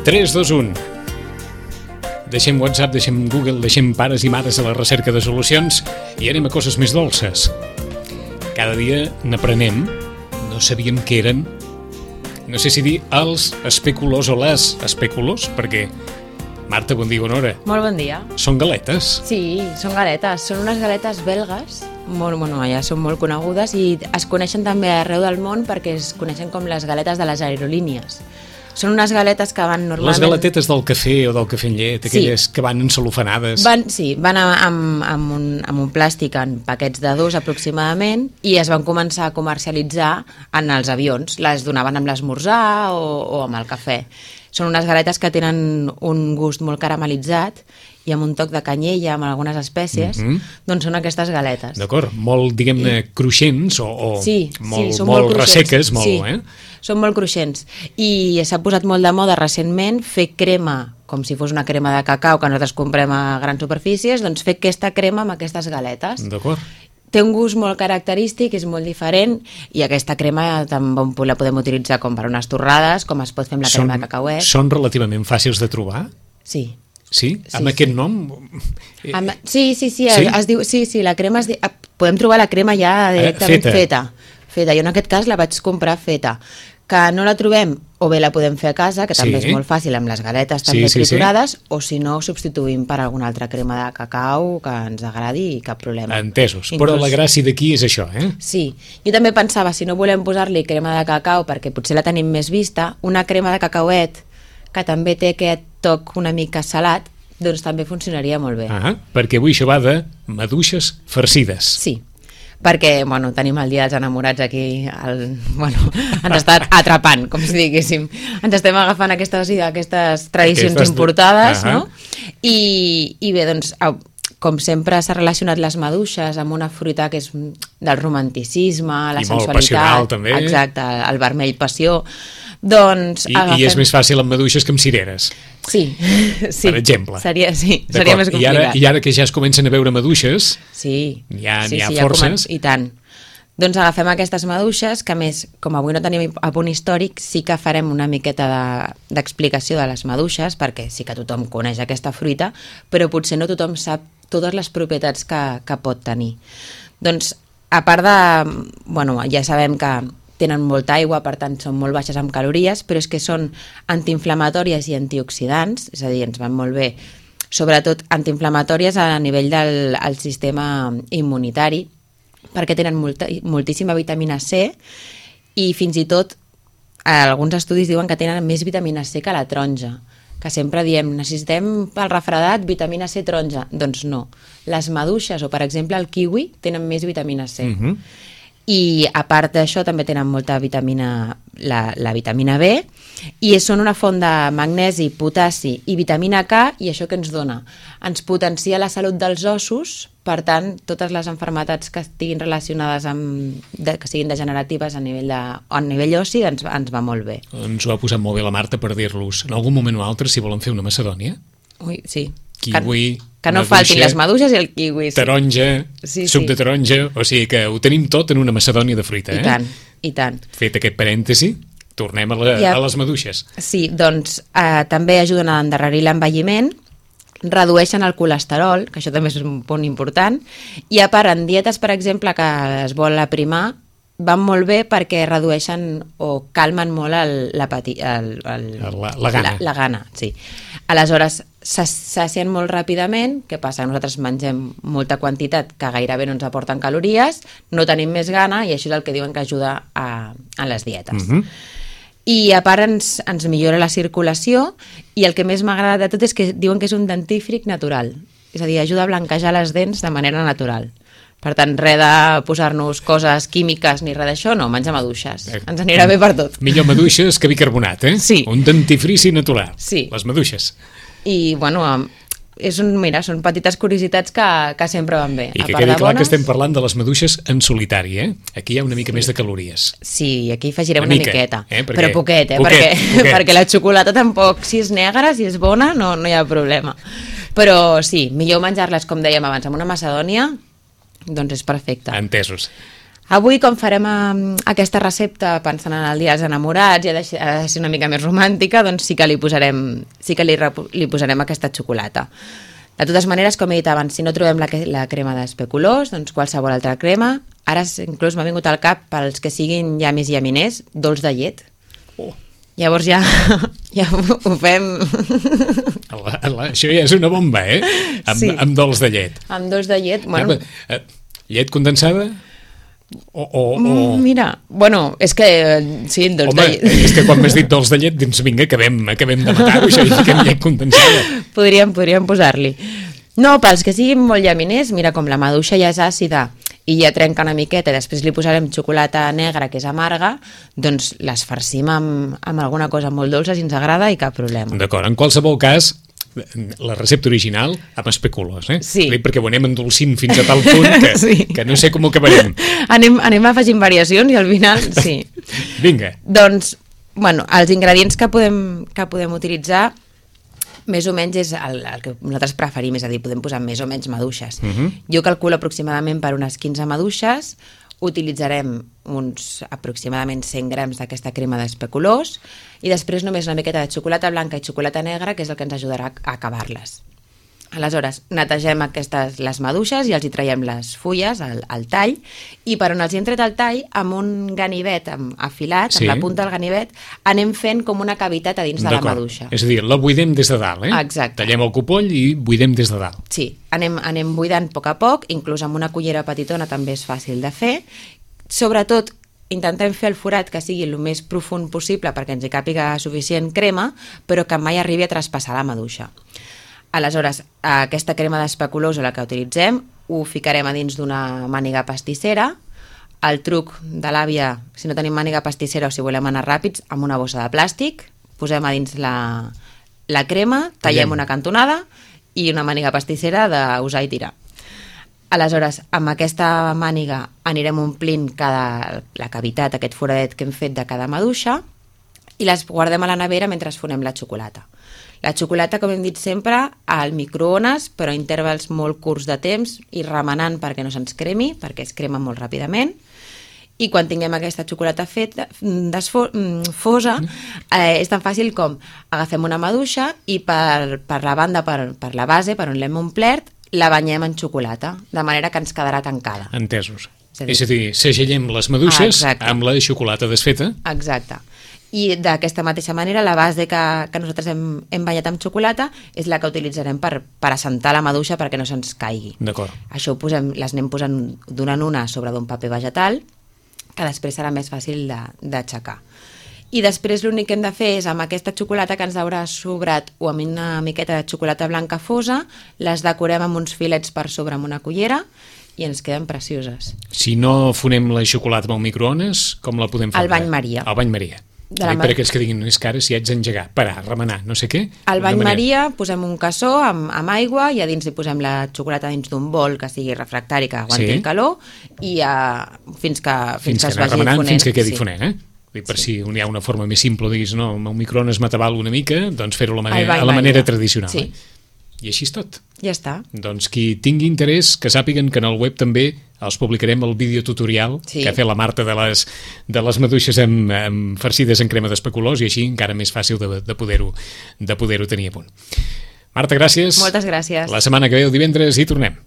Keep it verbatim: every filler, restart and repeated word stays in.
tres dos un. Deixem WhatsApp, deixem Google, deixem pares i mares a la recerca de solucions i anem a coses més dolces. Cada dia n'aprenem, no sabíem què eren, no sé si dir els especulos o les especulos, perquè... Marta, bon dia, bona hora. Molt bon dia. Són galetes? Sí, són galetes. Són unes galetes belgues, molt, bueno, ja són molt conegudes i es coneixen també arreu del món perquè es coneixen com les galetes de les aerolínies. Són unes galetes que van normalment... Les galetetes del cafè o del cafè amb llet, aquelles sí. que van encelofanades. Van, sí, van amb, amb, un, amb un plàstic en paquets de dos aproximadament i es van començar a comercialitzar en els avions. Les donaven amb l'esmorzar o, o amb el cafè. Són unes galetes que tenen un gust molt caramelitzat i amb un toc de canyella, amb algunes espècies, mm -hmm. doncs són aquestes galetes. D'acord, molt, diguem-ne, I... cruixents o, o sí, molt, sí, són molt, molt resseques, molt, sí, eh? Són molt cruixents. I s'ha posat molt de moda recentment fer crema, com si fos una crema de cacau que nosaltres comprem a grans superfícies, doncs fer aquesta crema amb aquestes galetes. D'acord. Té un gust molt característic, és molt diferent i aquesta crema també la podem utilitzar com per unes torrades, com es pot fer amb la són, crema de cacauet. Són relativament fàcils de trobar? Sí. Sí? sí amb sí. aquest nom? Amb, sí, sí, sí, sí? Es, es diu, sí, sí, la crema es diu, podem trobar la crema ja directament feta. feta. Feta. Jo en aquest cas la vaig comprar feta. Que no la trobem, o bé la podem fer a casa, que també sí. és molt fàcil amb les galetes també sí, sí, triturades, sí. o si no substituïm per alguna altra crema de cacau que ens agradi i cap problema. Entesos, Inclús... però la gràcia d'aquí és això, eh? Sí, jo també pensava, si no volem posar-li crema de cacau perquè potser la tenim més vista, una crema de cacauet que també té aquest toc una mica salat, doncs també funcionaria molt bé. Ah, perquè avui això va de maduixes farcides. Sí. Perquè, bueno, tenim el dia dels enamorats aquí, el, bueno, ens està atrapant, com si diguéssim. Ens estem agafant aquestes, aquestes tradicions aquestes... importades, uh -huh. no? I, I bé, doncs, com sempre s'ha relacionat les maduixes amb una fruita que és del romanticisme, la I sensualitat... I molt passional, també. Exacte, el vermell passió. Doncs I, agafem... I és més fàcil amb maduixes que amb cireres. Sí, sí. Per exemple. Seria, sí, seria més complicat. I ara, I ara que ja es comencen a veure maduixes, sí, n'hi ha, sí, ha sí, forces. Ja I tant. Doncs agafem aquestes maduixes, que a més, com avui no tenim a punt històric, sí que farem una miqueta d'explicació de, de les maduixes, perquè sí que tothom coneix aquesta fruita, però potser no tothom sap totes les propietats que, que pot tenir. Doncs, a part de... Bueno, ja sabem que tenen molta aigua, per tant són molt baixes en calories, però és que són antiinflamatòries i antioxidants, és a dir, ens van molt bé, sobretot antiinflamatòries a nivell del el sistema immunitari, perquè tenen molta, moltíssima vitamina C i fins i tot alguns estudis diuen que tenen més vitamina C que la taronja, que sempre diem, necessitem pel refredat vitamina C taronja. Doncs no. Les maduixes o, per exemple, el kiwi tenen més vitamina C. Uh-huh. I a part d'això també tenen molta vitamina, la, la vitamina B, i són una font de magnesi, potassi i vitamina K, i això què ens dona? Ens potencia la salut dels ossos, per tant, totes les malalties que estiguin relacionades amb, de, que siguin degeneratives a nivell, de, a nivell ossi ens, ens va molt bé. Ens ho ha posat molt bé la Marta per dir-los, en algun moment o altre, si volen fer una macedònia. Ui, sí. Kiwi, que, que no maduixa, faltin les maduixes i el kiwi. Sí. Taronja, sí, suc sí. de taronja, o sigui que ho tenim tot en una macedònia de fruita. I eh? tant, i tant. Fet aquest parèntesi, tornem a, la, a, a les maduixes. Sí, doncs eh, també ajuden a endarrerir l'envelliment, redueixen el colesterol, que això també és un punt important, i a part, en dietes, per exemple, que es vol aprimar, van molt bé perquè redueixen o calmen molt el, la, pati, el, el, la, la gana. La, la gana, sí. Aleshores, s'assacien molt ràpidament, què passa? Nosaltres mengem molta quantitat que gairebé no ens aporten calories, no tenim més gana i això és el que diuen que ajuda a, a les dietes. Uh-huh. I a part ens, ens millora la circulació i el que més m'agrada de tot és que diuen que és un dentífric natural, és a dir, ajuda a blanquejar les dents de manera natural. Per tant, res de posar-nos coses químiques ni res d'això, no, menjar maduixes. Ens anirà bé per tot. Millor maduixes que bicarbonat, eh? Sí. Un dentifrici natural. Sí. Les maduixes. I, bueno, és un, mira, són petites curiositats que, que sempre van bé. I que quedi clar bones... que estem parlant de les maduixes en solitari, eh? Aquí hi ha una mica sí. més de calories. Sí, aquí afegirem una, una mica, miqueta. Eh? Perquè... Però poquet, eh? Poquet, perquè, poquet. perquè la xocolata tampoc, si és negra, si és bona, no, no hi ha problema. Però sí, millor menjar-les, com dèiem abans, amb una macedònia, doncs és perfecte. Entesos. Avui, com farem eh, aquesta recepta pensant en el dia dels enamorats i ha de, ser, ha de ser una mica més romàntica, doncs sí que li posarem, sí que li, li posarem aquesta xocolata. De totes maneres, com he dit abans, si no trobem la, la crema d'especulós, doncs qualsevol altra crema. Ara inclús m'ha vingut al cap, pels que siguin llamis i llaminers, dolç de llet. Oh. Llavors ja, ja ho fem... La, la, això ja és una bomba, eh? Amb, sí. amb dolç de llet. Amb dolç de llet, bueno... Ja, llet condensada? O, o, o... Mira, bueno, és que... Sí, dolç Home, de llet... és que quan m'has dit dolç de llet, doncs vinga, acabem, acabem de matar-ho, això, i fiquem llet condensada. Podríem, podríem posar-li. No, pels que siguin molt llaminers, mira, com la maduixa ja és àcida i ja trenca una miqueta i després li posarem xocolata negra que és amarga, doncs les farcim amb, amb alguna cosa molt dolça si ens agrada i cap problema. D'acord, en qualsevol cas, la recepta original amb especulos, eh? Sí. Perquè ho anem endolcint fins a tal punt que, sí. que no sé com ho acabarem. Anem, anem afegint variacions i al final, sí. Vinga. Doncs, bueno, els ingredients que podem, que podem utilitzar més o menys és el, el que nosaltres preferim, és a dir, podem posar més o menys maduixes. Uh -huh. Jo calculo aproximadament per unes quinze maduixes, utilitzarem uns aproximadament cent grams d'aquesta crema d'especulós i després només una miqueta de xocolata blanca i xocolata negra, que és el que ens ajudarà a acabar-les. Aleshores, netegem aquestes, les maduixes i els hi traiem les fulles, el, el tall, i per on els hi hem tret el tall, amb un ganivet amb, afilat, sí. amb la punta del ganivet, anem fent com una cavitat a dins de la maduixa. És a dir, la buidem des de dalt, eh? Exacte. Tallem el copoll i buidem des de dalt. Sí, anem, anem buidant a poc a poc, inclús amb una cullera petitona també és fàcil de fer. Sobretot, intentem fer el forat que sigui el més profund possible perquè ens hi càpiga suficient crema, però que mai arribi a traspassar la maduixa. Aleshores, aquesta crema d'especulós, la que utilitzem, ho ficarem a dins d'una màniga pastissera. El truc de l'àvia, si no tenim màniga pastissera o si volem anar ràpids, amb una bossa de plàstic, posem a dins la, la crema, tallem una cantonada i una màniga pastissera d'usar i tirar. Aleshores, amb aquesta màniga anirem omplint cada, la cavitat, aquest foradet que hem fet de cada maduixa i les guardem a la nevera mentre fonem la xocolata. La xocolata, com hem dit sempre, al microones, però a intervals molt curts de temps i remenant perquè no se'ns cremi, perquè es crema molt ràpidament. I quan tinguem aquesta xocolata feta, fosa, eh, és tan fàcil com agafem una maduixa i per, per la banda, per, per la base, per on l'hem omplert, la banyem en xocolata, de manera que ens quedarà tancada. Entesos. És a dir, és a dir segellem les maduixes Exacte. amb la xocolata desfeta. Exacte. I d'aquesta mateixa manera la base que, que nosaltres hem, hem banyat amb xocolata és la que utilitzarem per, per assentar la maduixa perquè no se'ns caigui. D'acord. Això ho posem, les anem posant d'una en una sobre d'un paper vegetal que després serà més fàcil d'aixecar. I després l'únic que hem de fer és amb aquesta xocolata que ens haurà sobrat o amb una miqueta de xocolata blanca fosa, les decorem amb uns filets per sobre amb una cullera i ens queden precioses. Si no fonem la xocolata amb el microones, com la podem fer? Al bany Maria. Al bany Maria. Per mar... aquells que diguin, és que ara si haig d'engegar, parar, remenar, no sé què... Al bany Maria posem un cassó amb, amb aigua i a dins li posem la xocolata dins d'un bol que sigui refractari, que aguanti sí. el calor, i uh, fins que, fins, fins que es vagi remenant, fonent. Fins que quedi sí. fonent, eh? Per sí. Si hi ha una forma més simple, diguis, no, amb el microones m'ataval una mica, doncs fer-ho a la manera, a la manera tradicional. Sí. Eh? I així és tot. Ja està. Doncs qui tingui interès, que sàpiguen que en el web també els publicarem el videotutorial sí. que ha fet la Marta de les, de les maduixes amb, amb farcides en crema d'especulós i així encara més fàcil de, de poder-ho de poder-ho tenir a punt. Marta, gràcies. Moltes gràcies. La setmana que ve, el divendres, hi tornem.